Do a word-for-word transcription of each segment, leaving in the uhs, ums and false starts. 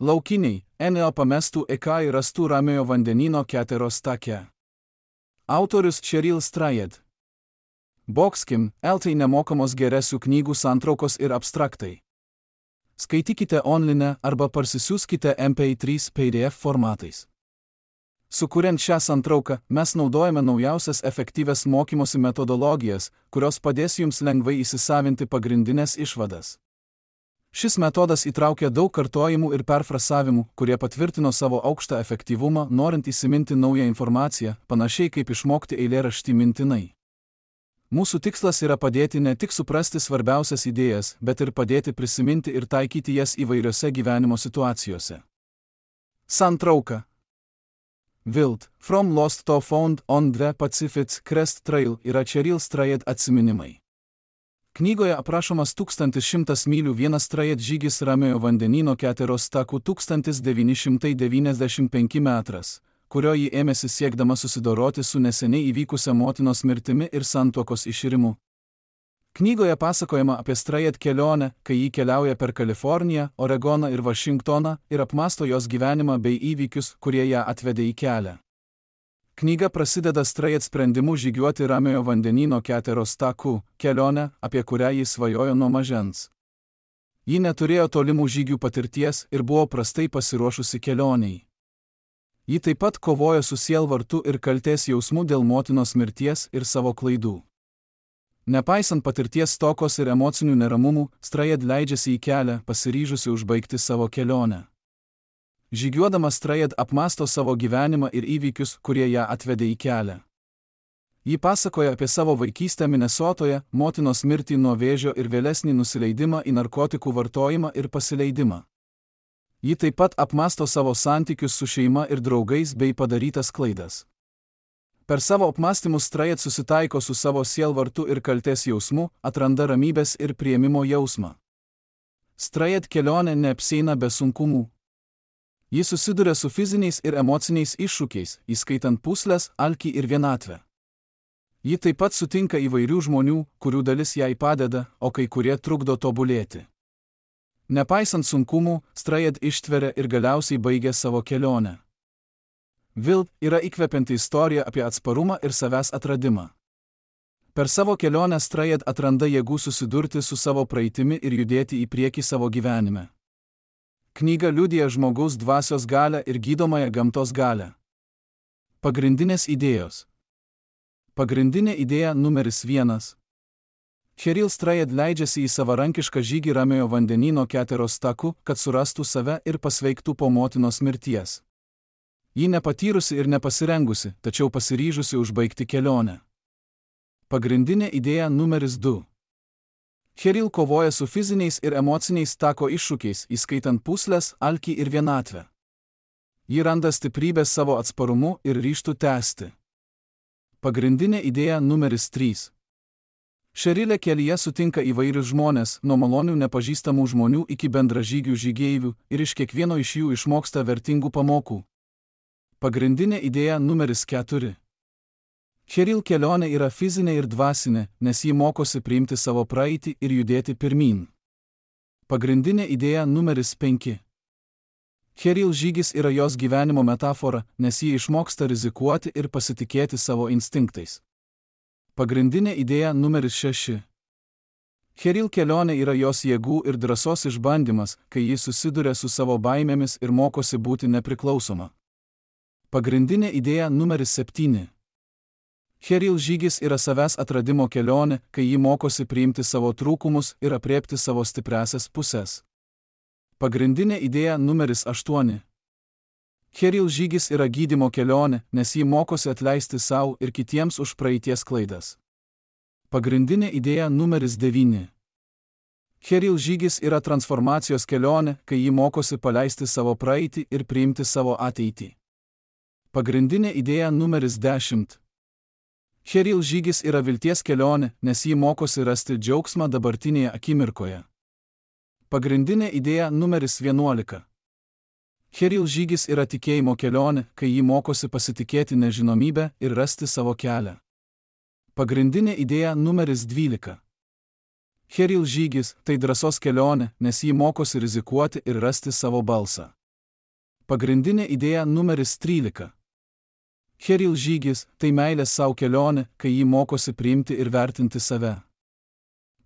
Laukiniai, Eneo pamestų Eka ir rastų Ramiojo vandenyno Keteros take. Autorius Cheryl Strayed. Boxkim, eltai nemokamos geresių knygų santraukos ir abstraktai. Skaitykite online arba parsisiųskite M P trys P D F formatais. Sukuriant šią santrauką, mes naudojame naujausias efektyvias mokymosi metodologijas, kurios padės jums lengvai įsisavinti pagrindinės išvadas. Šis metodas įtraukia daug kartojimų ir perfrasavimų, kurie patvirtino savo aukštą efektyvumą, norint įsiminti naują informaciją, panašiai kaip išmokti eilėraštį mintinai. Mūsų tikslas yra padėti ne tik suprasti svarbiausias idėjas, bet ir padėti prisiminti ir taikyti jas įvairiose gyvenimo situacijose. Santrauka. Wild, From Lost to Found on the Pacific Crest Trail yra Cheryl Strayed atsiminimai. Knygoje aprašomas tūkstantis šimtas mylių vienas Strayed žygis Ramiojo vandenyno Keteros taku tūkstantis devyni šimtai devyniasdešimt penki metras, kurio ji ėmėsi siekdama susidoroti su neseniai įvykusia motinos mirtimi ir santuokos iširimu. Knygoje pasakojama apie Strayed kelionę, kai ji keliauja per Kaliforniją, Oregoną ir Vašingtoną ir apmąsto jos gyvenimą bei įvykius, kurie ją atvedė į kelią. Knyga prasideda Strayed sprendimu žygiuoti Ramiojo vandenyno Keteros taku, kelionę, apie kurią ji svajojo nuo mažens. Ji neturėjo tolimų žygių patirties ir buvo prastai pasiruošusi kelioniai. Ji taip pat kovojo su sielvartu ir kaltės jausmu dėl motinos mirties ir savo klaidų. Nepaisant patirties stokos ir emocinių neramumų, Strayed leidžiasi į kelią, pasiryžusi užbaigti savo kelionę. Žygiuodama Strayed apmąsto savo gyvenimą ir įvykius, kurie ją atvedė į kelią. Ji pasakoja apie savo vaikystę Minesotoje, motinos mirtį nuo vėžio ir vėlesnį nusileidimą į narkotikų vartojimą ir pasileidimą. Ji taip pat apmąsto savo santykius su šeima ir draugais bei padarytas klaidas. Per savo apmąstymus Strayed susitaiko su savo sielvartu ir kaltės jausmu, atranda ramybės ir priėmimo jausmą. Strayed kelionė neapsieina be sunkumų. Ji susiduria su fiziniais ir emociniais iššūkiais, įskaitant pūsles, alkį ir vienatvę. Ji taip pat sutinka įvairių žmonių, kurių dalis jai padeda, o kai kurie trukdo tobulėti. Nepaisant sunkumų, Strayed ištveria ir galiausiai baigia savo kelionę. Wild yra įkvepianti istorija apie atsparumą ir savęs atradimą. Per savo kelionę Strayed atranda jėgų susidurti su savo praeitimi ir judėti į priekį savo gyvenime. Knyga liudija žmogaus dvasios galią ir gydomąją gamtos galią. Pagrindinės idėjos. Pagrindinė idėja numeris vienas. Cheryl Strayed leidžiasi į savarankišką žygį Ramiojo vandenyno Keteros taku, kad surastų save ir pasveiktų po motinos mirties. Ji nepatyrusi ir nepasirengusi, tačiau pasiryžusi užbaigti kelionę. Pagrindinė idėja numeris du. Cheryl kovoja su fiziniais ir emociniais tako iššūkiais, įskaitant pūsles, alkį ir vienatvę. Ji randa stiprybės savo atsparumu ir ryžtų tęsti. Pagrindinė idėja numeris trys. Cherylė kelyje sutinka įvairius žmonės, nuo malonių nepažįstamų žmonių iki bendražygių žygeivių, ir iš kiekvieno iš jų išmoksta vertingų pamokų. Pagrindinė idėja numeris keturi. Cheryl kelionė yra fizinė ir dvasinė, nes ji mokosi priimti savo praeitį ir judėti pirmyn. Pagrindinė idėja numeris penki. Cheryl žygis yra jos gyvenimo metafora, nes ji išmoksta rizikuoti ir pasitikėti savo instinktais. Pagrindinė idėja numeris šeši. Cheryl kelionė yra jos jėgų ir drąsos išbandymas, kai ji susiduria su savo baimėmis ir mokosi būti nepriklausoma. Pagrindinė idėja numeris septyni. Cheryl žygis yra savęs atradimo kelionė, kai ji mokosi priimti savo trūkumus ir aprėpti savo stipriasias pusės. Pagrindinė idėja numeris aštuoni. Cheryl žygis yra gydymo kelionė, nes ji mokosi atleisti savo ir kitiems už praeities klaidas. Pagrindinė idėja numeris devyni. Cheryl žygis yra transformacijos kelionė, kai ji mokosi paleisti savo praeitį ir priimti savo ateitį. Pagrindinė idėja numeris dešimt. Cheryl žygis yra vilties kelionė, nes ji mokosi rasti džiaugsmą dabartinėje akimirkoje. Pagrindinė idėja numeris vienuolika. Cheryl žygis yra tikėjimo kelionė, kai ji mokosi pasitikėti nežinomybę ir rasti savo kelią. Pagrindinė idėja numeris dvylika. Cheryl žygis tai drąsos kelionė, nes ji mokosi rizikuoti ir rasti savo balsą. Pagrindinė idėja numeris trylika. Cheril žygis – tai meilės savo kelionė, kai jį mokosi priimti ir vertinti save.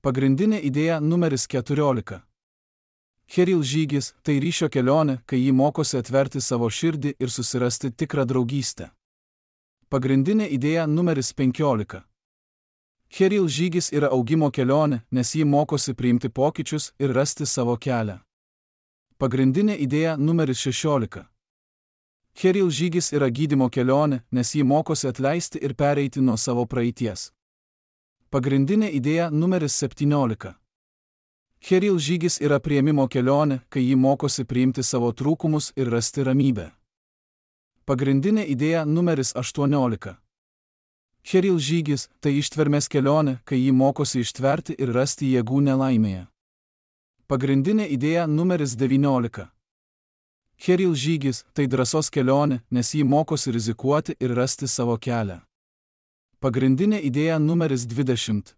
Pagrindinė idėja numeris keturiolika. Cheril žygis – tai ryšio kelionė, kai jį mokosi atverti savo širdį ir susirasti tikrą draugystę. Pagrindinė idėja numeris penkiolika. Cheril žygis yra augimo kelionė, nes jį mokosi priimti pokyčius ir rasti savo kelią. Pagrindinė idėja numeris šešiolika. Cheril žygis yra gydymo kelionė, nes jį mokosi atleisti ir pereiti nuo savo praeities. Pagrindinė idėja numeris septyniolika. Cheril žygis yra priėmimo kelionė, kai jį mokosi priimti savo trūkumus ir rasti ramybę. Pagrindinė idėja numeris aštuoniolika. Cheril žygis – tai ištvermės kelionė, kai jį mokosi ištverti ir rasti jėgų nelaimėje. Pagrindinė idėja numeris devyniolika. Cheril žygis – tai drąsos kelionė, nes jį mokosi rizikuoti ir rasti savo kelią. Pagrindinė idėja numeris dvidešimt.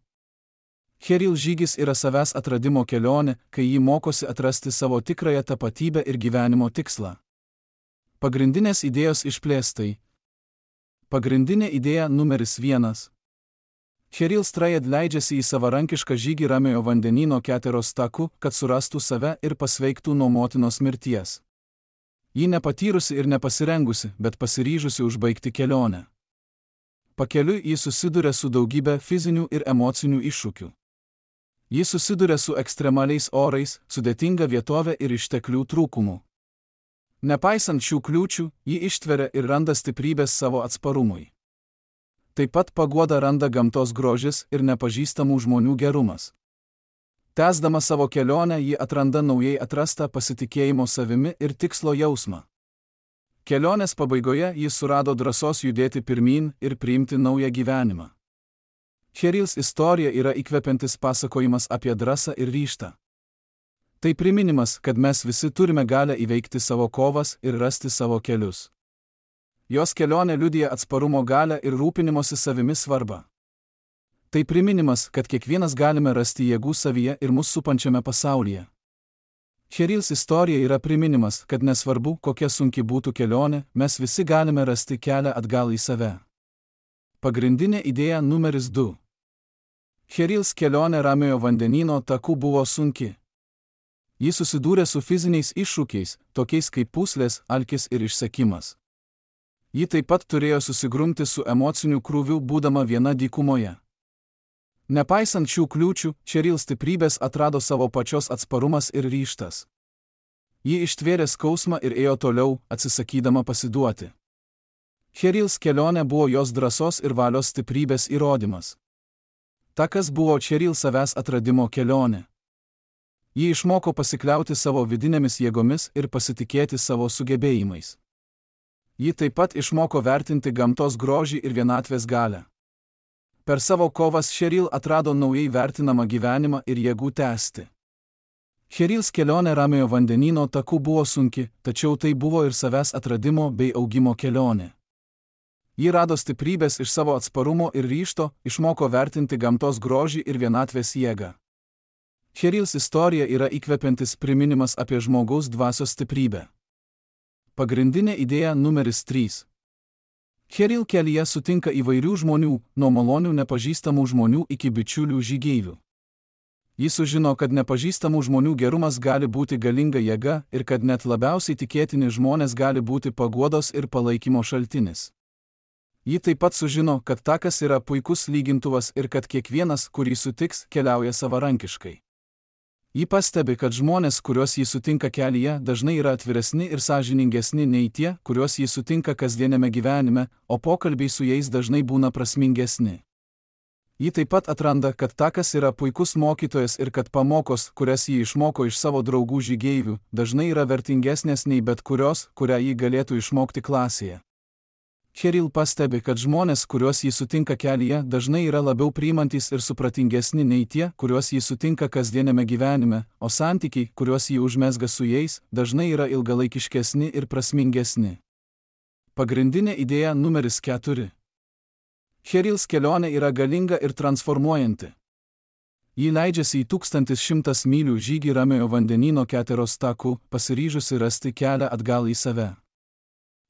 Cheril žygis yra savęs atradimo kelionė, kai jį mokosi atrasti savo tikrąją tapatybę ir gyvenimo tikslą. Pagrindinės idėjos išplėstai. Pagrindinė idėja numeris vienas. Cheril Strayed leidžiasi į savarankišką žygį Ramiojo vandenyno Keteros taku, kad surastų save ir pasveiktų nuo motinos mirties. Ji nepatyrusi ir nepasirengusi, bet pasiryžusi užbaigti kelionę. Pakeliui ji susiduria su daugybė fizinių ir emocinių iššūkių. Ji susiduria su ekstremaliais orais, sudėtinga vietovė ir išteklių trūkumu. Nepaisant šių kliūčių, ji ištveria ir randa stiprybės savo atsparumui. Taip pat paguodą randa gamtos grožis ir nepažįstamų žmonių gerumas. Tęsdama savo kelionę, ji atranda naujai atrastą pasitikėjimo savimi ir tikslo jausmą. Kelionės pabaigoje ji surado drąsos judėti pirmyn ir priimti naują gyvenimą. Cherils istorija yra įkvepiantis pasakojimas apie drąsą ir ryžtą. Tai priminimas, kad mes visi turime galią įveikti savo kovas ir rasti savo kelius. Jos kelionė liudija atsparumo galią ir rūpinimosi savimi svarbą. Tai priminimas, kad kiekvienas galime rasti jėgų savyje ir mus supančiame pasaulyje. Cherils istorija yra priminimas, kad nesvarbu, kokia sunki būtų kelionė, mes visi galime rasti kelią atgal į save. Pagrindinė idėja numeris du. Cherils kelionė Ramiojo vandenyno taku buvo sunki. Ji susidūrė su fiziniais iššūkiais, tokiais kaip pūslės, alkis ir išsekimas. Ji taip pat turėjo susigrumti su emociniu krūviu būdama viena dykumoje. Nepaisant šių kliūčių, Cheril stiprybės atrado savo pačios atsparumas ir ryžtas. Ji ištvėrė skausmą ir ėjo toliau, atsisakydama pasiduoti. Cherils kelionė buvo jos drąsos ir valios stiprybės įrodymas. Takas buvo Cheril savęs atradimo kelionė. Ji išmoko pasikliauti savo vidinėmis jėgomis ir pasitikėti savo sugebėjimais. Ji taip pat išmoko vertinti gamtos grožį ir vienatvės galią. Per savo kovas Cheril atrado naujai vertinamą gyvenimą ir jėgų tęsti. Cherils kelionė Ramiojo vandenyno taku buvo sunki, tačiau tai buvo ir savęs atradimo bei augimo kelionė. Ji rado stiprybės iš savo atsparumo ir ryžto, išmoko vertinti gamtos grožį ir vienatvės jėgą. Cherils istorija yra įkvepiantis priminimas apie žmogaus dvasios stiprybę. Pagrindinė idėja numeris trys. Cheril kelyje sutinka įvairių žmonių, nuo malonių nepažįstamų žmonių iki bičiulių žygeivių. Jis sužino, kad nepažįstamų žmonių gerumas gali būti galinga jėga ir kad net labiausiai tikėtini žmonės gali būti paguodos ir palaikymo šaltinis. Ji taip pat sužino, kad takas yra puikus lygintuvas ir kad kiekvienas, kurį sutiks, keliauja savarankiškai. Ji pastebi, kad žmonės, kuriuos jį sutinka kelyje, dažnai yra atviresni ir sąžiningesni nei tie, kuriuos jį sutinka kasdienėme gyvenime, o pokalbiai su jais dažnai būna prasmingesni. Ji taip pat atranda, kad takas yra puikus mokytojas ir kad pamokos, kurias jį išmoko iš savo draugų žygeivių, dažnai yra vertingesnės nei bet kurios, kurią jį galėtų išmokti klasėje. Cheril pastebi, kad žmonės, kuriuos jį sutinka kelyje, dažnai yra labiau priimantys ir supratingesni nei tie, kuriuos jį sutinka kasdienėme gyvenime, o santykiai, kuriuos jį užmezga su jais, dažnai yra ilgalaikiškesni ir prasmingesni. Pagrindinė idėja numeris keturi. Cherils kelionė yra galinga ir transformuojanti. Ji leidžiasi į tūkstantis šimtas mylių žygį Ramiojo vandenyno Keteros taku, pasiryžusi rasti kelią atgal į save.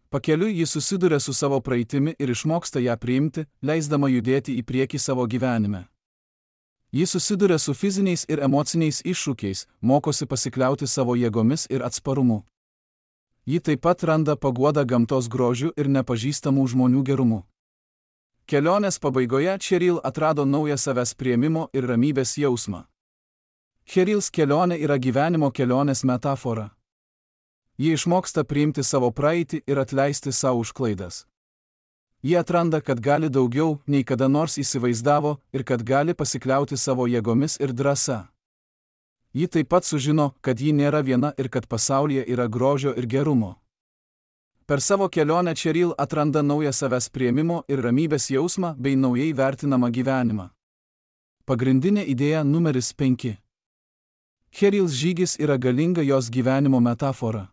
Pakeliui ji susiduria su savo praeitimi ir išmoksta ją priimti, leisdama judėti į priekį savo gyvenime. Ji susiduria su fiziniais ir emociniais iššūkiais, mokosi pasikliauti savo jėgomis ir atsparumu. Ji taip pat randa paguodą gamtos grožiu ir nepažįstamų žmonių gerumu. Kelionės pabaigoje Cheryl atrado naują savęs priėmimo ir ramybės jausmą. Cheryls kelionė yra gyvenimo kelionės metafora. Ji išmoksta priimti savo praeitį ir atleisti savo už klaidas. Ji atranda, kad gali daugiau, nei kada nors įsivaizdavo, ir kad gali pasikliauti savo jėgomis ir drąsa. Ji taip pat sužino, kad ji nėra viena ir kad pasaulyje yra grožio ir gerumo. Per savo kelionę Cheryl atranda naują savęs priėmimo ir ramybės jausmą bei naujai vertinamą gyvenimą. Pagrindinė idėja numeris penki. Cheryls žygis yra galinga jos gyvenimo metafora.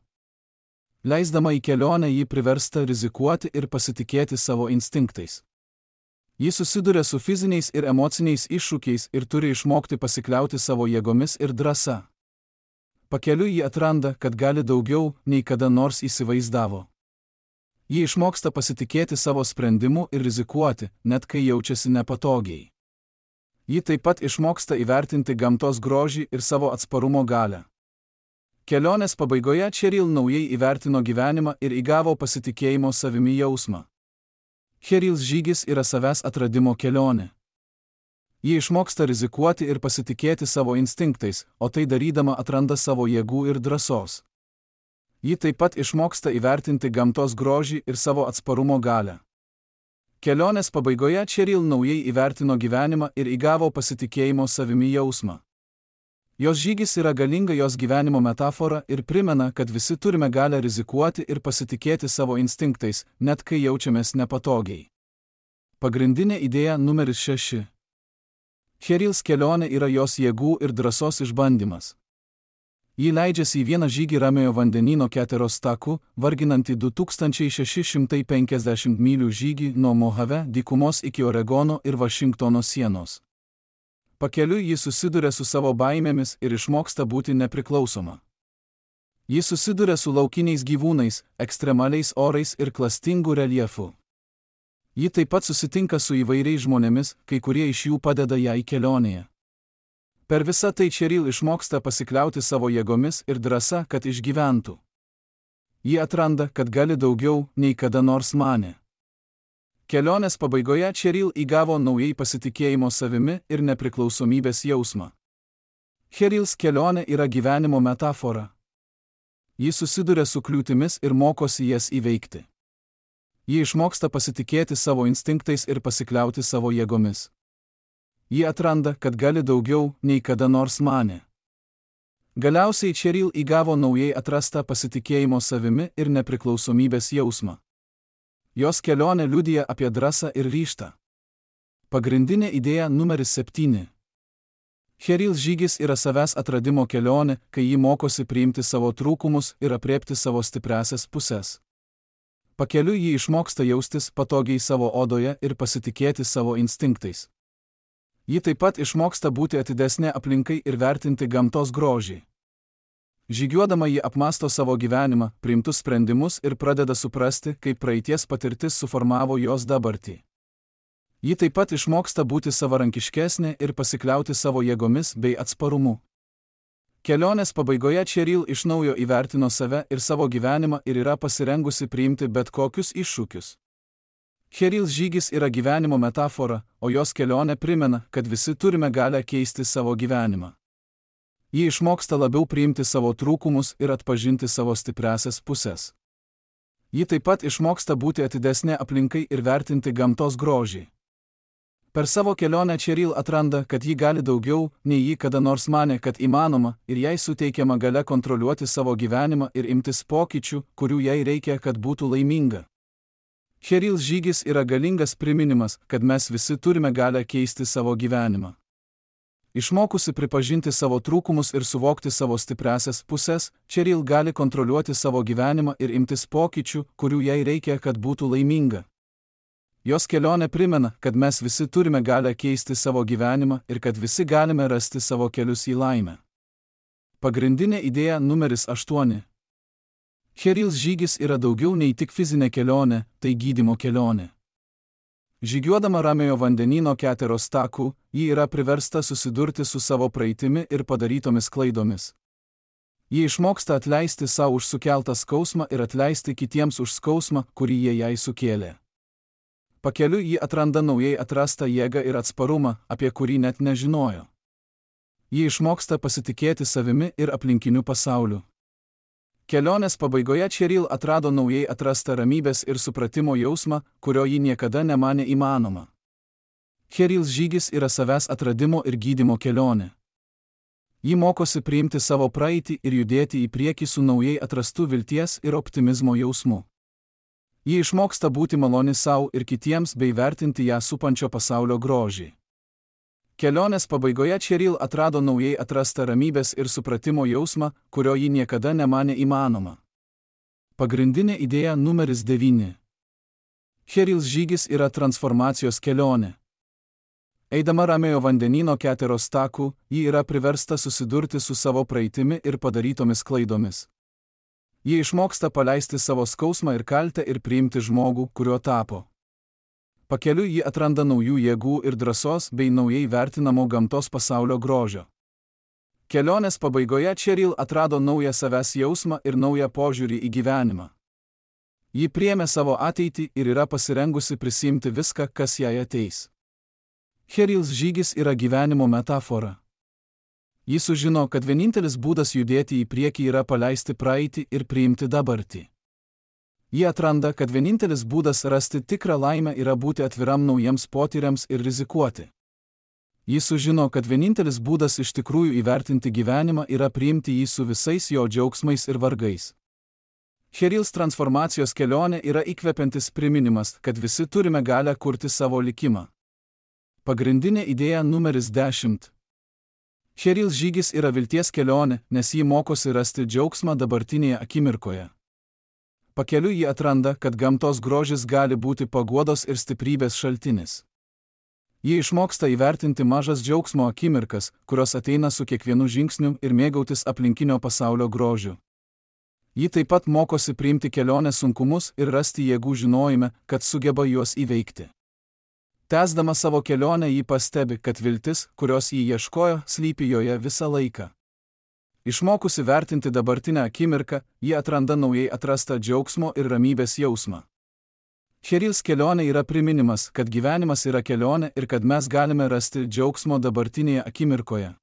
Leisdama į kelionę ji priversta rizikuoti ir pasitikėti savo instinktais. Ji susiduria su fiziniais ir emociniais iššūkiais ir turi išmokti pasikliauti savo jėgomis ir drąsa. Pakeliui ji atranda, kad gali daugiau, nei kada nors įsivaizdavo. Ji išmoksta pasitikėti savo sprendimu ir rizikuoti, net kai jaučiasi nepatogiai. Ji taip pat išmoksta įvertinti gamtos grožį ir savo atsparumo galią. Kelionės pabaigoje Cheryl naujai įvertino gyvenimą ir įgavo pasitikėjimo savimi jausmą. Cheryls žygis yra savęs atradimo kelionė. Ji išmoksta rizikuoti ir pasitikėti savo instinktais, o tai darydama atranda savo jėgų ir drąsos. Ji taip pat išmoksta įvertinti gamtos grožį ir savo atsparumo galią. Kelionės pabaigoje Cheryl naujai įvertino gyvenimą ir įgavo pasitikėjimo savimi jausmą. Jos žygis yra galinga jos gyvenimo metafora ir primena, kad visi turime galią rizikuoti ir pasitikėti savo instinktais, net kai jaučiamės nepatogiai. Pagrindinė idėja numeris šeši. Cheryls kelionė yra jos jėgų ir drąsos išbandymas. Ji leidžiasi į vieną žygį Ramiojo vandenyno Keteros taku, varginantį du tūkstančiai šeši šimtai penkiasdešimt mylių žygį nuo Mojave dykumos iki Oregono ir Vašingtono sienos. Pakeliui ji susiduria su savo baimėmis ir išmoksta būti nepriklausoma. Ji susiduria su laukiniais gyvūnais, ekstremaliais orais ir klastingu reljefu. Ji taip pat susitinka su įvairiais žmonėmis, kai kurie iš jų padeda jai kelionėje. Per visą tai Cheryl išmoksta pasikliauti savo jėgomis ir drąsa, kad išgyventų. Ji atranda, kad gali daugiau, nei kada nors manė. Kelionės pabaigoje Cheryl įgavo naujai pasitikėjimo savimi ir nepriklausomybės jausmą. Cheryls kelionė yra gyvenimo metafora. Ji susiduria su kliūtimis ir mokosi jas įveikti. Ji išmoksta pasitikėti savo instinktais ir pasikliauti savo jėgomis. Ji atranda, kad gali daugiau, nei kada nors manė. Galiausiai Cheryl įgavo naujai atrastą pasitikėjimo savimi ir nepriklausomybės jausmą. Jos kelionė liudija apie drąsą ir ryžtą. Pagrindinė idėja numeris septyni. Cheryls žygis yra savęs atradimo kelionė, kai ji mokosi priimti savo trūkumus ir aprėpti savo stipriąsias puses. Pakeliui ji išmoksta jaustis patogiai savo odoje ir pasitikėti savo instinktais. Ji taip pat išmoksta būti atidesnė aplinkai ir vertinti gamtos grožį. Žygiuodama ji apmąsto savo gyvenimą, priimtus sprendimus ir pradeda suprasti, kaip praeities patirtis suformavo jos dabartį. Ji taip pat išmoksta būti savarankiškesnė ir pasikliauti savo jėgomis bei atsparumu. Kelionės pabaigoje Cheryl iš naujo įvertino save ir savo gyvenimą ir yra pasirengusi priimti bet kokius iššūkius. Cheryls žygis yra gyvenimo metafora, o jos kelionė primena, kad visi turime galią keisti savo gyvenimą. Ji išmoksta labiau priimti savo trūkumus ir atpažinti savo stipriąsias puses. Ji taip pat išmoksta būti atidesnė aplinkai ir vertinti gamtos grožį. Per savo kelionę Cheryl atranda, kad ji gali daugiau, nei ji kada nors manė, kad įmanoma, ir jai suteikiama galia kontroliuoti savo gyvenimą ir imtis pokyčių, kurių jai reikia, kad būtų laiminga. Cheryls žygis yra galingas priminimas, kad mes visi turime galią keisti savo gyvenimą. Išmokusi pripažinti savo trūkumus ir suvokti savo stipriąsias puses, Cheryl gali kontroliuoti savo gyvenimą ir imtis pokyčių, kurių jai reikia, kad būtų laiminga. Jos kelionė primena, kad mes visi turime galę keisti savo gyvenimą ir kad visi galime rasti savo kelius į laimę. Pagrindinė idėja numeris aštuoni. Cherils žygis yra daugiau nei tik fizinė kelionė, tai gydymo kelionė. Žygiuodama Ramiojo vandenyno Keteros taku, ji yra priversta susidurti su savo praeitimi ir padarytomis klaidomis. Ji išmoksta atleisti savo už sukeltą skausmą ir atleisti kitiems už skausmą, kurį jie jai sukėlė. Pakeliui ji atranda naujai atrastą jėgą ir atsparumą, apie kurį net nežinojo. Ji išmoksta pasitikėti savimi ir aplinkiniu pasauliu. Kelionės pabaigoje Cheril atrado naujai atrastą ramybės ir supratimo jausmą, kurio ji niekada nemanė įmanoma. Cherils žygis yra savęs atradimo ir gydymo kelionė. Ji mokosi priimti savo praeitį ir judėti į priekį su naujai atrastu vilties ir optimizmo jausmu. Ji išmoksta būti maloni savo ir kitiems bei vertinti ją supančio pasaulio grožį. Kelionės pabaigoje Cheril atrado naujai atrastą ramybės ir supratimo jausmą, kurio ji niekada nemanė įmanoma. Pagrindinė idėja numeris devyni. Cherils žygis yra transformacijos kelionė. Eidama Ramiojo vandenyno Keteros taku, ji yra priversta susidurti su savo praeitimi ir padarytomis klaidomis. Ji išmoksta paleisti savo skausmą ir kaltę ir priimti žmogų, kuriuo tapo. Pakeliui ji atranda naujų jėgų ir drąsos bei naujai vertinamo gamtos pasaulio grožio. Kelionės pabaigoje Cheril atrado naują savęs jausmą ir naują požiūrį į gyvenimą. Ji priėmė savo ateitį ir yra pasirengusi prisiimti viską, kas jai ateis. Cherils žygis yra gyvenimo metafora. Ji sužino, kad vienintelis būdas judėti į priekį yra paleisti praeitį ir priimti dabartį. Ji atranda, kad vienintelis būdas rasti tikrą laimę yra būti atviram naujiems potyriams ir rizikuoti. Ji sužino, kad vienintelis būdas iš tikrųjų įvertinti gyvenimą yra priimti jį su visais jo džiaugsmais ir vargais. Cherils transformacijos kelionė yra įkvepiantis priminimas, kad visi turime galę kurti savo likimą. Pagrindinė idėja numeris dešimt. Cherils žygis yra vilties kelionė, nes ji mokosi rasti džiaugsmą dabartinėje akimirkoje. Pakeliui ji atranda, kad gamtos grožis gali būti paguodos ir stiprybės šaltinis. Ji išmoksta įvertinti mažas džiaugsmo akimirkas, kurios ateina su kiekvienu žingsniu ir mėgautis aplinkinio pasaulio grožiu. Ji taip pat mokosi priimti kelionės sunkumus ir rasti jėgų žinojime, kad sugeba juos įveikti. Tęsdama savo kelionę ji pastebi, kad viltis, kurios ji ieškojo, slypi joje visą laiką. Išmokusi vertinti dabartinę akimirką, ji atranda naujai atrastą džiaugsmo ir ramybės jausmą. Cherils kelionė yra priminimas, kad gyvenimas yra kelionė ir kad mes galime rasti džiaugsmo dabartinėje akimirkoje.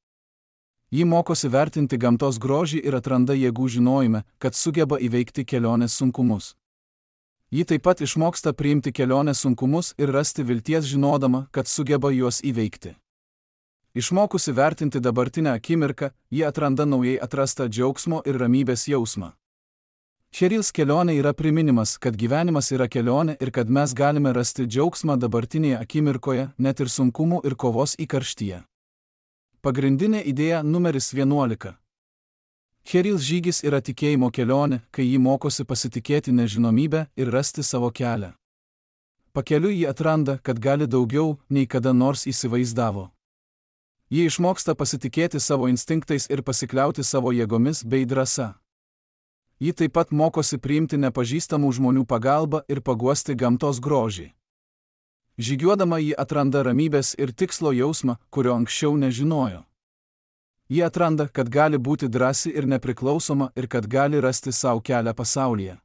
Ji mokosi vertinti gamtos grožį ir atranda jėgų žinojime, kad sugeba įveikti kelionės sunkumus. Ji taip pat išmoksta priimti kelionės sunkumus ir rasti vilties žinodama, kad sugeba juos įveikti. Išmokusi vertinti dabartinę akimirką, ji atranda naujai atrastą džiaugsmo ir ramybės jausmą. Cherils kelionė yra priminimas, kad gyvenimas yra kelionė ir kad mes galime rasti džiaugsmą dabartinėje akimirkoje, net ir sunkumų ir kovos įkarštyje. Pagrindinė idėja numeris vienuolika. Cherils žygis yra tikėjimo kelionė, kai ji mokosi pasitikėti nežinomybę ir rasti savo kelią. Pakeliui ji atranda, kad gali daugiau, nei kada nors įsivaizdavo. Ji išmoksta pasitikėti savo instinktais ir pasikliauti savo jėgomis bei drąsa. Ji taip pat mokosi priimti nepažįstamų žmonių pagalbą ir paguosti gamtos grožį. Žygiuodama ji atranda ramybės ir tikslo jausmą, kurio anksčiau nežinojo. Ji atranda, kad gali būti drąsi ir nepriklausoma ir kad gali rasti savo kelią pasaulyje.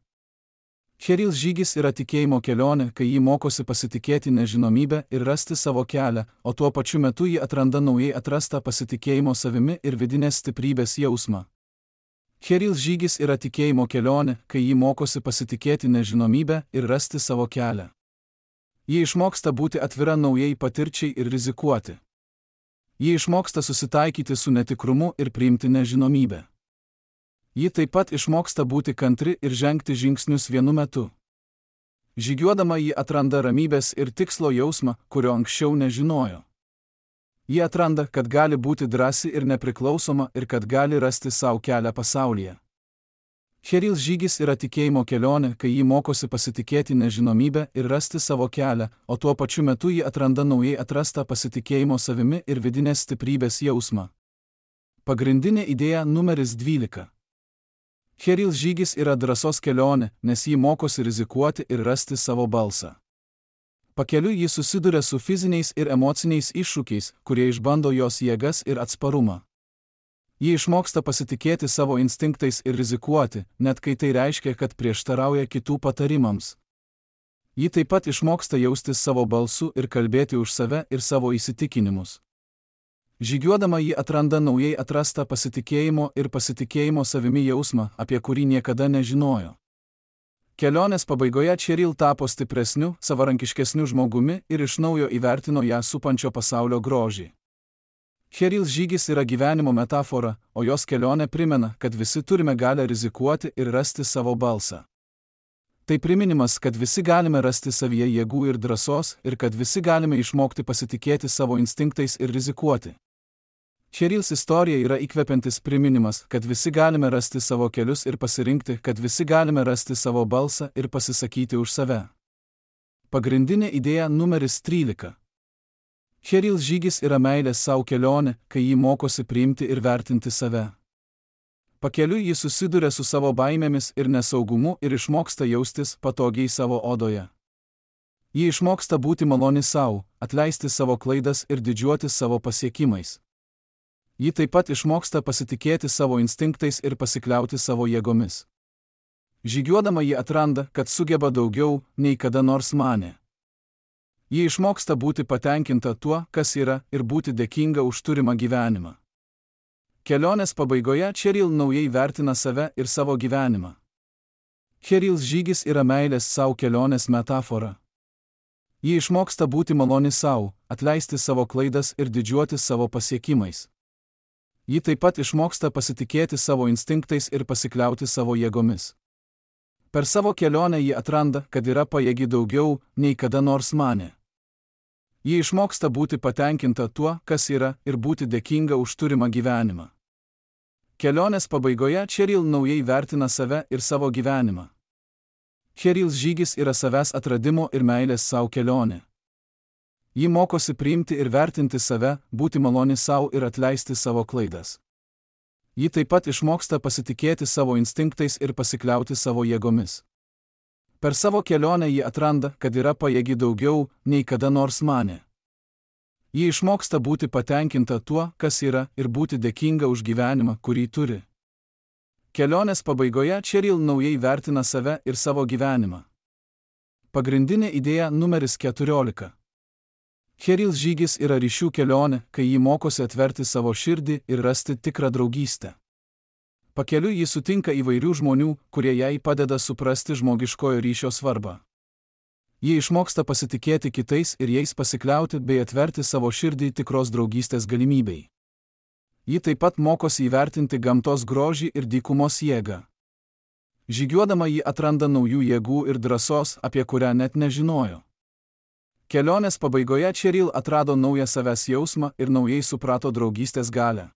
Cherils žygis yra tikėjimo kelionė, kai ji mokosi pasitikėti nežinomybę ir rasti savo kelią, o tuo pačiu metu ji atranda naujai atrastą pasitikėjimo savimi ir vidinės stiprybės jausmą. Cherils žygis yra tikėjimo kelionė, kai ji mokosi pasitikėti nežinomybę ir rasti savo kelią. Ji išmoksta būti atvira naujai patirčiai ir rizikuoti. Ji išmoksta susitaikyti su netikrumu ir priimti nežinomybę. Ji taip pat išmoksta būti kantri ir žengti žingsnius vienu metu. Žygiuodama ji atranda ramybės ir tikslo jausmą, kurio anksčiau nežinojo. Ji atranda, kad gali būti drąsi ir nepriklausoma ir kad gali rasti savo kelią pasaulyje. Cheryl žygis yra tikėjimo kelionė, kai ji mokosi pasitikėti nežinomybę ir rasti savo kelią, o tuo pačiu metu ji atranda naujai atrastą pasitikėjimo savimi ir vidinės stiprybės jausmą. Pagrindinė idėja numeris dvylika. Cheryl žygis yra drąsos kelionė, nes ji mokosi rizikuoti ir rasti savo balsą. Pakeliui ji susiduria su fiziniais ir emociniais iššūkiais, kurie išbando jos jėgas ir atsparumą. Ji išmoksta pasitikėti savo instinktais ir rizikuoti, net kai tai reiškia, kad prieštarauja kitų patarimams. Ji taip pat išmoksta jaustis savo balsu ir kalbėti už save ir savo įsitikinimus. Žygiuodama ji atranda naujai atrastą pasitikėjimo ir pasitikėjimo savimi jausmą, apie kurį niekada nežinojo. Kelionės pabaigoje Cheryl tapo stipresniu, savarankiškesniu žmogumi ir iš naujo įvertino ją supančio pasaulio grožį. Cheryl žygis yra gyvenimo metafora, o jos kelionė primena, kad visi turime galią rizikuoti ir rasti savo balsą. Tai priminimas, kad visi galime rasti savyje jėgų ir drąsos ir kad visi galime išmokti pasitikėti savo instinktais ir rizikuoti. Cheryls istorija yra įkvepiantis priminimas, kad visi galime rasti savo kelius ir pasirinkti, kad visi galime rasti savo balsą ir pasisakyti už save. Pagrindinė idėja numeris trylika. Cheryl žygis yra meilės savo kelionė, kai ji mokosi priimti ir vertinti save. Pakeliui ji susiduria su savo baimėmis ir nesaugumu ir išmoksta jaustis patogiai savo odoje. Ji išmoksta būti maloni savo, atleisti savo klaidas ir didžiuotis savo pasiekimais. Ji taip pat išmoksta pasitikėti savo instinktais ir pasikliauti savo jėgomis. Žygiuodama ji atranda, kad sugeba daugiau, nei kada nors manė. Ji išmoksta būti patenkinta tuo, kas yra, ir būti dėkinga už turimą gyvenimą. Kelionės pabaigoje Cheryl naujai vertina save ir savo gyvenimą. Cheryl žygis yra meilės savo kelionės metafora. Ji išmoksta būti maloni savo, atleisti savo klaidas ir didžiuotis savo pasiekimais. Ji taip pat išmoksta pasitikėti savo instinktais ir pasikliauti savo jėgomis. Per savo kelionę ji atranda, kad yra pajėgi daugiau, nei kada nors manė. Ji išmoksta būti patenkinta tuo, kas yra, ir būti dėkinga už turimą gyvenimą. Kelionės pabaigoje Cheryl naujai vertina save ir savo gyvenimą. Cheryl žygis yra savęs atradimo ir meilės savo kelionė. Ji mokosi priimti ir vertinti save, būti maloni savo ir atleisti savo klaidas. Ji taip pat išmoksta pasitikėti savo instinktais ir pasikliauti savo jėgomis. Per savo kelionę ji atranda, kad yra pajėgi daugiau, nei kada nors manė. Ji išmoksta būti patenkinta tuo, kas yra, ir būti dėkinga už gyvenimą, kurį turi. Kelionės pabaigoje Cheryl naujai vertina save ir savo gyvenimą. Pagrindinė idėja numeris keturiolika. Cheryl žygis yra ryšių kelionė, kai ji mokosi atverti savo širdį ir rasti tikrą draugystę. Pakeliui ji sutinka įvairių žmonių, kurie jai padeda suprasti žmogiškojo ryšio svarbą. Ji išmoksta pasitikėti kitais ir jais pasikliauti bei atverti savo širdį tikros draugystės galimybei. Ji taip pat mokosi įvertinti gamtos grožį ir dykumos jėgą. Žygiuodama ji atranda naujų jėgų ir drąsos, apie kurią net nežinojo. Kelionės pabaigoje Cheryl atrado naują savęs jausmą ir naujai suprato draugystės galią.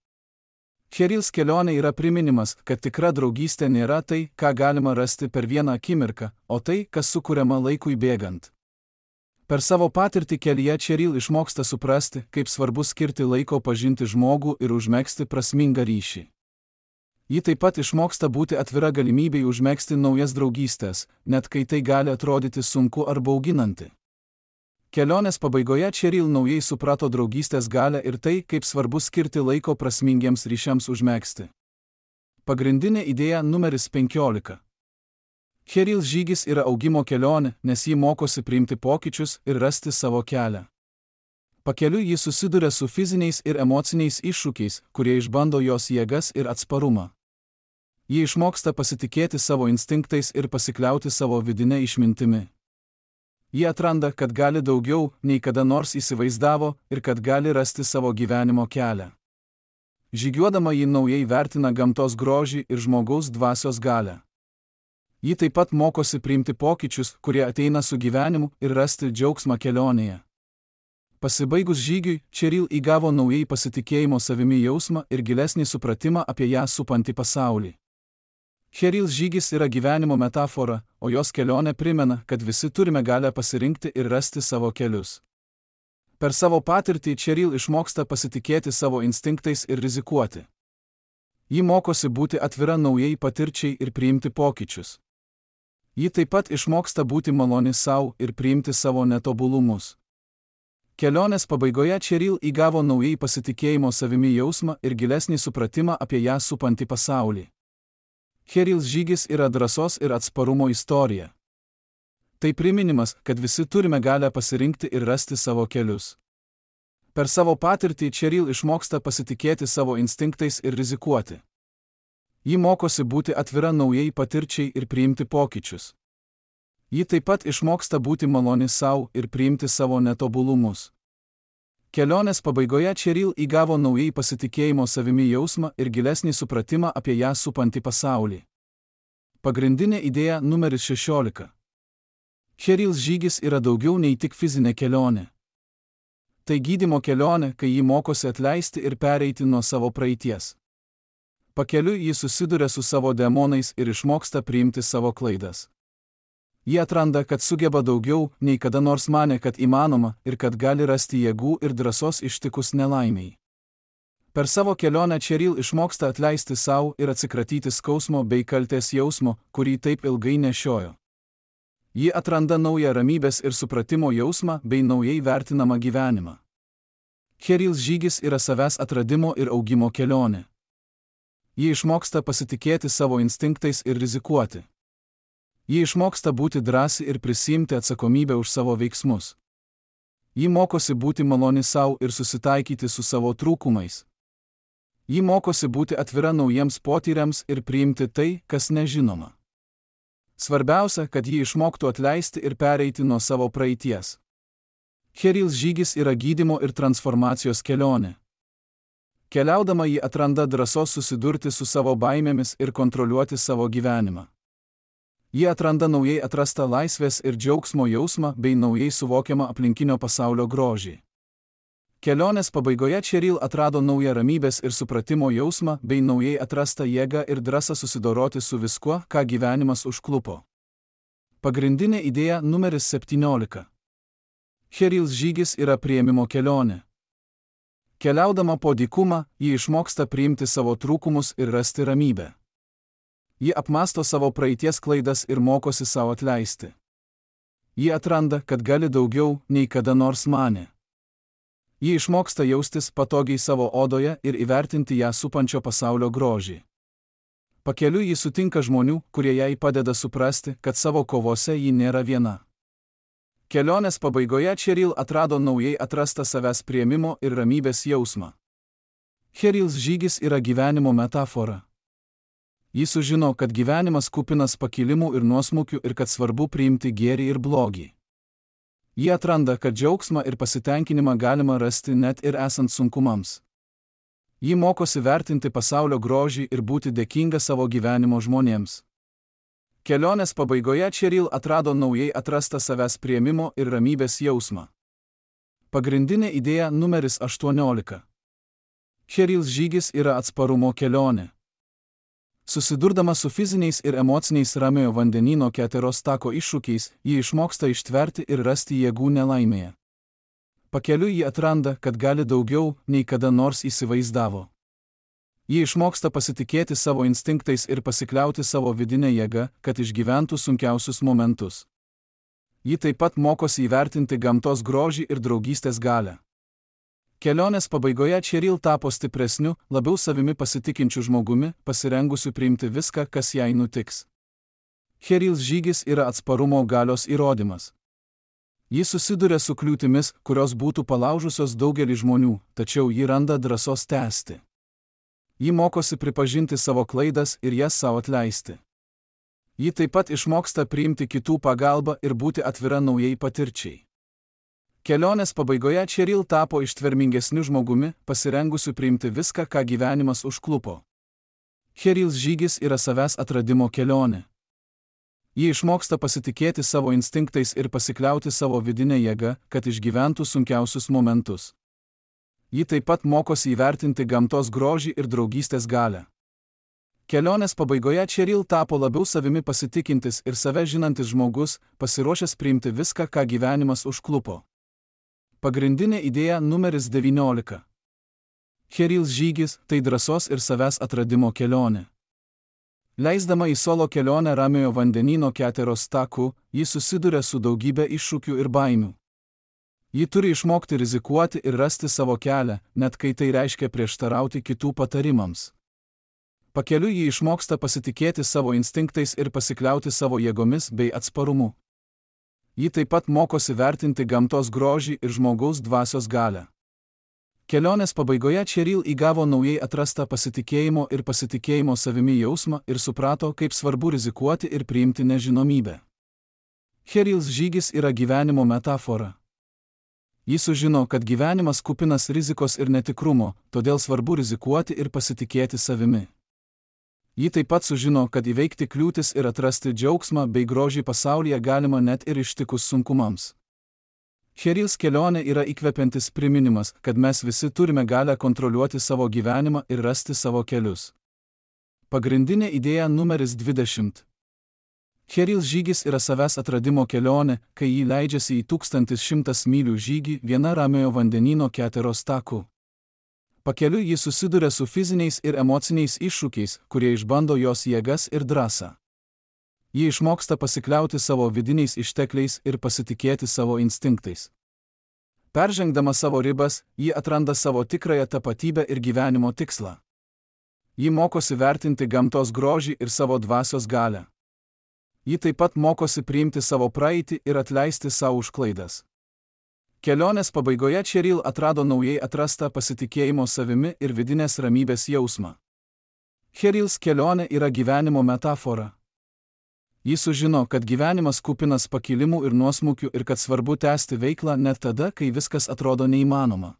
Cheryls kelionė yra priminimas, kad tikra draugystė nėra tai, ką galima rasti per vieną akimirką, o tai, kas sukuriama laikui bėgant. Per savo patirtį kelyje Cheryl išmoksta suprasti, kaip svarbu skirti laiko pažinti žmogų ir užmegzti prasmingą ryšį. Ji taip pat išmoksta būti atvira galimybei užmegzti naujas draugystės, net kai tai gali atrodyti sunku ar bauginanti. Kelionės pabaigoje Cheryl naujai suprato draugystės galią ir tai, kaip svarbu skirti laiko prasmingiems ryšiams užmegzti. Pagrindinė idėja numeris penkiolika. Cheryl žygis yra augimo kelionė, nes ji mokosi priimti pokyčius ir rasti savo kelią. Pakeliui ji susiduria su fiziniais ir emociniais iššūkiais, kurie išbando jos jėgas ir atsparumą. Ji išmoksta pasitikėti savo instinktais ir pasikliauti savo vidinę išmintimi. Ji atranda, kad gali daugiau, nei kada nors įsivaizdavo ir kad gali rasti savo gyvenimo kelią. Žygiuodama ji naujai vertina gamtos grožį ir žmogaus dvasios galią. Ji taip pat mokosi priimti pokyčius, kurie ateina su gyvenimu, ir rasti džiaugsmą kelionėje. Pasibaigus žygiui, Cheryl įgavo naujai pasitikėjimo savimi jausmą ir gilesnį supratimą apie ją supantį pasaulį. Cheryl's žygis yra gyvenimo metafora, o jos kelionė primena, kad visi turime galę pasirinkti ir rasti savo kelius. Per savo patirtį Cheryl išmoksta pasitikėti savo instinktais ir rizikuoti. Ji mokosi būti atvira naujai patirčiai ir priimti pokyčius. Ji taip pat išmoksta būti maloni sau ir priimti savo netobulumus. Kelionės pabaigoje Cheryl įgavo naujai pasitikėjimo savimi jausmą ir gilesnį supratimą apie ją supantį pasaulį. Cheryl's žygis yra drąsos ir atsparumo istorija. Tai priminimas, kad visi turime galę pasirinkti ir rasti savo kelius. Per savo patirtį Cheryl išmoksta pasitikėti savo instinktais ir rizikuoti. Ji mokosi būti atvira naujai patirčiai ir priimti pokyčius. Ji taip pat išmoksta būti maloni sau ir priimti savo netobulumus. Kelionės pabaigoje Cheryl įgavo naujai pasitikėjimo savimi jausmą ir gilesnį supratimą apie ją supantį pasaulį. Pagrindinė idėja numeris šešiolika. Cheryl's žygis yra daugiau nei tik fizinė kelionė. Tai gydymo kelionė, kai ji mokosi atleisti ir pereiti nuo savo praeities. Pakeliui ji susiduria su savo demonais ir išmoksta priimti savo klaidas. Ji atranda, kad sugeba daugiau, nei kada nors manė, kad įmanoma, ir kad gali rasti jėgų ir drąsos ištikus nelaimiai. Per savo kelionę Cheryl išmoksta atleisti sau ir atsikratyti skausmo bei kaltės jausmo, kurį taip ilgai nešiojo. Ji atranda naują ramybės ir supratimo jausmą bei naujai vertinamą gyvenimą. Cheryl's žygis yra savęs atradimo ir augimo kelionė. Ji išmoksta pasitikėti savo instinktais ir rizikuoti. Ji išmoksta būti drąsi ir prisiimti atsakomybę už savo veiksmus. Ji mokosi būti maloni sau ir susitaikyti su savo trūkumais. Ji mokosi būti atvira naujiems potyriams ir priimti tai, kas nežinoma. Svarbiausia, kad ji išmoktų atleisti ir pereiti nuo savo praeities. Cheryl's žygis yra gydymo ir transformacijos kelionė. Keliaudama ji atranda drąsos susidurti su savo baimėmis ir kontroliuoti savo gyvenimą. Ji atranda naujai atrastą laisvės ir džiaugsmo jausmą bei naujai suvokiamą aplinkinio pasaulio grožį. Kelionės pabaigoje Cheryl atrado naują ramybės ir supratimo jausmą bei naujai atrastą jėgą ir drąsą susidoroti su viskuo, ką gyvenimas užklupo. Pagrindinė idėja numeris septyniolika. Cheryl's žygis yra priėmimo kelionė. Keliaudama po dykumą, ji išmoksta priimti savo trūkumus ir rasti ramybę. Ji apmąsto savo praeities klaidas ir mokosi savo atleisti. Ji atranda, kad gali daugiau, nei kada nors manė. Ji išmoksta jaustis patogiai savo odoje ir įvertinti ją supančio pasaulio grožį. Pakeliui ji sutinka žmonių, kurie jai padeda suprasti, kad savo kovose ji nėra viena. Kelionės pabaigoje Cheryl atrado naujai atrastą savęs priėmimo ir ramybės jausmą. Cheryl's žygis yra gyvenimo metafora. Ji sužino, kad gyvenimas kupinas pakilimų ir nuosmukių ir kad svarbu priimti gėrį ir blogį. Ji atranda, kad džiaugsmą ir pasitenkinimą galima rasti net ir esant sunkumams. Ji mokosi vertinti pasaulio grožį ir būti dėkinga savo gyvenimo žmonėms. Kelionės pabaigoje Cheryl atrado naujai atrastą savęs priėmimo ir ramybės jausmą. Pagrindinė idėja numeris aštuoniolika. Cheryl's žygis yra atsparumo kelionė. Susidurdama su fiziniais ir emociniais Ramiojo vandenyno Keteros tako iššūkiais, ji išmoksta ištverti ir rasti jėgų nelaimėje. Pakeliui ji atranda, kad gali daugiau, nei kada nors įsivaizdavo. Ji išmoksta pasitikėti savo instinktais ir pasikliauti savo vidinę jėgą, kad išgyventų sunkiausius momentus. Ji taip pat mokosi įvertinti gamtos grožį ir draugystės galią. Kelionės pabaigoje Cheryl tapo stipresniu, labiau savimi pasitikinčiu žmogumi, pasirengusiu priimti viską, kas jai nutiks. Cheryl's žygis yra atsparumo galios įrodymas. Ji susiduria su kliūtimis, kurios būtų palaužusios daugelį žmonių, tačiau ji randa drąsos tęsti. Ji mokosi pripažinti savo klaidas ir jas savo atleisti. Ji taip pat išmoksta priimti kitų pagalbą ir būti atvira naujai patirčiai. Kelionės pabaigoje Cheryl tapo ištvermingesniu žmogumi, pasirengusiu priimti viską, ką gyvenimas užklupo. Cheryl's žygis yra savęs atradimo kelionė. Ji išmoksta pasitikėti savo instinktais ir pasikliauti savo vidinę jėgą, kad išgyventų sunkiausius momentus. Ji taip pat mokosi įvertinti gamtos grožį ir draugystės galią. Kelionės pabaigoje Cheryl tapo labiau savimi pasitikintis ir save žinantis žmogus, pasiruošęs priimti viską, ką gyvenimas užklupo. Pagrindinė idėja numeris devyniolika. Cheryl žygis – tai drąsos ir savęs atradimo kelionė. Leisdama į solo kelionę Ramiojo vandenyno Keteros taku, ji susiduria su daugybė iššūkių ir baimių. Ji turi išmokti rizikuoti ir rasti savo kelią, net kai tai reiškia prieštarauti kitų patarimams. Pakeliui ji išmoksta pasitikėti savo instinktais ir pasikliauti savo jėgomis bei atsparumu. Ji taip pat mokosi vertinti gamtos grožį ir žmogaus dvasios galią. Kelionės pabaigoje Cheryl įgavo naujai atrastą pasitikėjimo ir pasitikėjimo savimi jausmą ir suprato, kaip svarbu rizikuoti ir priimti nežinomybę. Cheryls žygis yra gyvenimo metafora. Ji sužino, kad gyvenimas kupinas rizikos ir netikrumo, todėl svarbu rizikuoti ir pasitikėti savimi. Ji taip pat sužino, kad įveikti kliūtis ir atrasti džiaugsmą bei grožį pasaulyje galima net ir ištikus sunkumams. Cheryls kelionė yra įkvepiantis priminimas, kad mes visi turime galią kontroliuoti savo gyvenimą ir rasti savo kelius. Pagrindinė idėja numeris dvidešimt. Cheryls žygis yra savęs atradimo kelionė, kai ji leidžiasi į tūkstantis šimtas mylių žygį viena Ramiojo vandenyno Keteros taku. Pakeliui ji susiduria su fiziniais ir emociniais iššūkiais, kurie išbando jos jėgas ir drąsą. Ji išmoksta pasikliauti savo vidiniais ištekliais ir pasitikėti savo instinktais. Peržengdama savo ribas, ji atranda savo tikrąją tapatybę ir gyvenimo tikslą. Ji mokosi vertinti gamtos grožį ir savo dvasios galią. Ji taip pat mokosi priimti savo praeitį ir atleisti savo už klaidas. Kelionės pabaigoje Cheryl atrado naujai atrastą pasitikėjimo savimi ir vidinės ramybės jausmą. Cheryls kelionė yra gyvenimo metafora. Ji sužino, kad gyvenimas kupinas pakilimų ir nuosmukių ir kad svarbu tęsti veiklą net tada, kai viskas atrodo neįmanoma.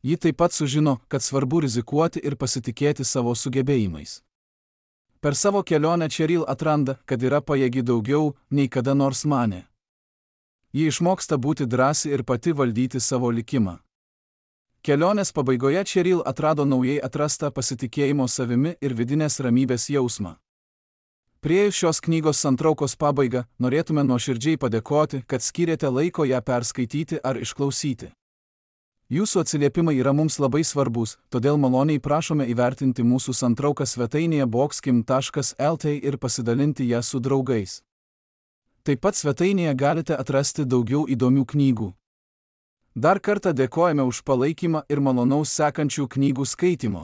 Ji taip pat sužino, kad svarbu rizikuoti ir pasitikėti savo sugebėjimais. Per savo kelionę Cheryl atranda, kad yra pajėgi daugiau, nei kada nors manė. Ji išmoksta būti drąsi ir pati valdyti savo likimą. Kelionės pabaigoje Cheryl atrado naujai atrastą pasitikėjimo savimi ir vidinės ramybės jausmą. Priėjus šios knygos santraukos pabaigą, norėtume nuoširdžiai padėkoti, kad skyrėte laiko ją perskaityti ar išklausyti. Jūsų atsiliepimai yra mums labai svarbus, todėl maloniai prašome įvertinti mūsų santrauką svetainėje boxkim taškas el tė ir pasidalinti ją su draugais. Taip pat svetainėje galite atrasti daugiau įdomių knygų. Dar kartą dėkojame už palaikymą ir malonaus sekančių knygų skaitimo.